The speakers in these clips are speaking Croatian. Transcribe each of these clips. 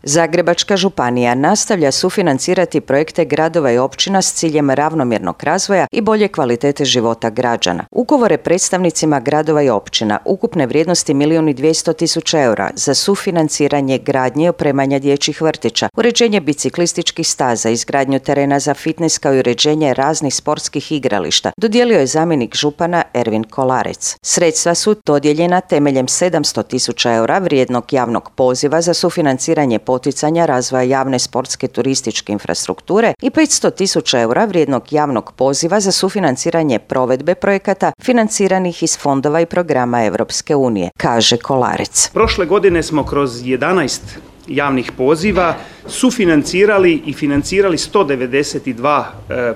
Zagrebačka županija nastavlja sufinancirati projekte gradova i općina s ciljem ravnomjernog razvoja i bolje kvalitete života građana. Ugovore predstavnicima gradova i općina ukupne vrijednosti 1.200.000 eura za sufinanciranje gradnje i opremanja dječjih vrtića, uređenje biciklističkih staza, izgradnju terena za fitnes kao i uređenje raznih sportskih igrališta dodijelio je zamjenik župana Ervin Kolarec. Sredstva su dodijeljena temeljem 700.000 eura vrijednog javnog poziva za sufinanciranje poticanja razvoja javne sportske turističke infrastrukture i 500.000 eura vrijednog javnog poziva za sufinanciranje provedbe projekata financiranih iz fondova i programa Europske unije, kaže Kolarec. Prošle godine smo kroz 11 javnih poziva sufinancirali i financirali 192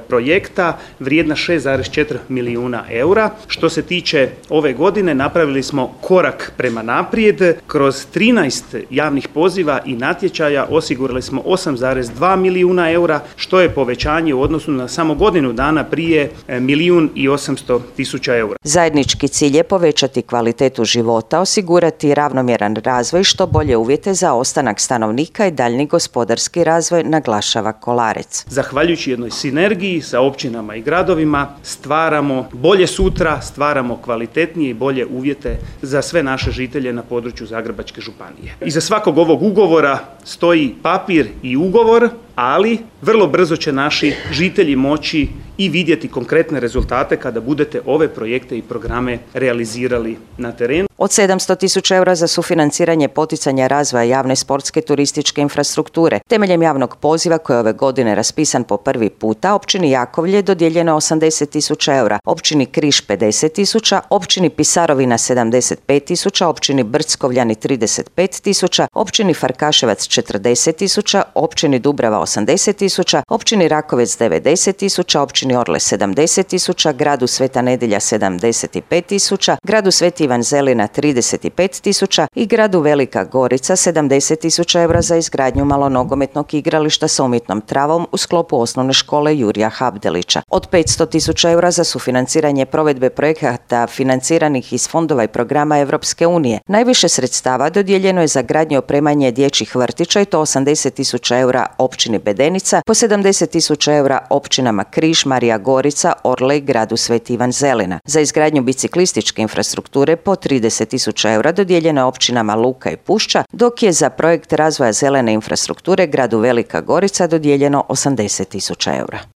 projekta vrijedna 6,4 milijuna eura. Što se tiče ove godine, napravili smo korak prema naprijed. Kroz 13 javnih poziva i natječaja osigurali smo 8,2 milijuna eura, što je povećanje u odnosu na samo godinu dana prije 1.800.000 eura. Zajednički cilj je povećati kvalitetu života, osigurati ravnomjeran razvoj i što bolje uvjete za ostanak stanovnika i daljnji gospodarski razvoj, naglašava Kolarec. Zahvaljujući jednoj sinergiji sa općinama i gradovima stvaramo bolje sutra, stvaramo kvalitetnije i bolje uvjete za sve naše žitelje na području Zagrebačke županije. Iza svakog ovog ugovora stoji papir i ugovor, ali vrlo brzo će naši žitelji moći i vidjeti konkretne rezultate kada budete ove projekte i programe realizirali na terenu. Od 700.000 eura za sufinanciranje poticanja razvoja javne sportske turističke infrastrukture temeljem javnog poziva koji je ove godine raspisan po prvi puta, općini Jakovlje dodijeljeno 80.000 eura, općini Križ 50.000, općini Pisarovina 75.000, općini Brckovljani 35.000, općini Farkaševac 40.000, općini Dubrava 80.000, općini Rakovec 90.000, općini Orle 70.000, gradu Sveta Nedjelja 75.000, gradu Sveti Ivan Zelina 35.000 i gradu Velika Gorica 70.000 eura za izgradnju malonogometnog igrališta sa umjetnom travom u sklopu osnovne škole Jurija Habdelića. Od 500.000 eura za sufinanciranje provedbe projekata financiranih iz fondova i programa Europske unije. Najviše sredstava dodijeljeno je za gradnju i opremanje dječjih vrtića i to 80.000 eura općini Bedenica, po 70.000 eura općinama Križ, Marija Gorica, Orle i gradu Sveti Ivan Zelina. Za izgradnju biciklističke infrastrukture po 30.000 eura dodijeljeno je općinama Luka i Pušća, dok je za projekt razvoja zelene infrastrukture gradu Velika Gorica dodijeljeno 80.000 eura.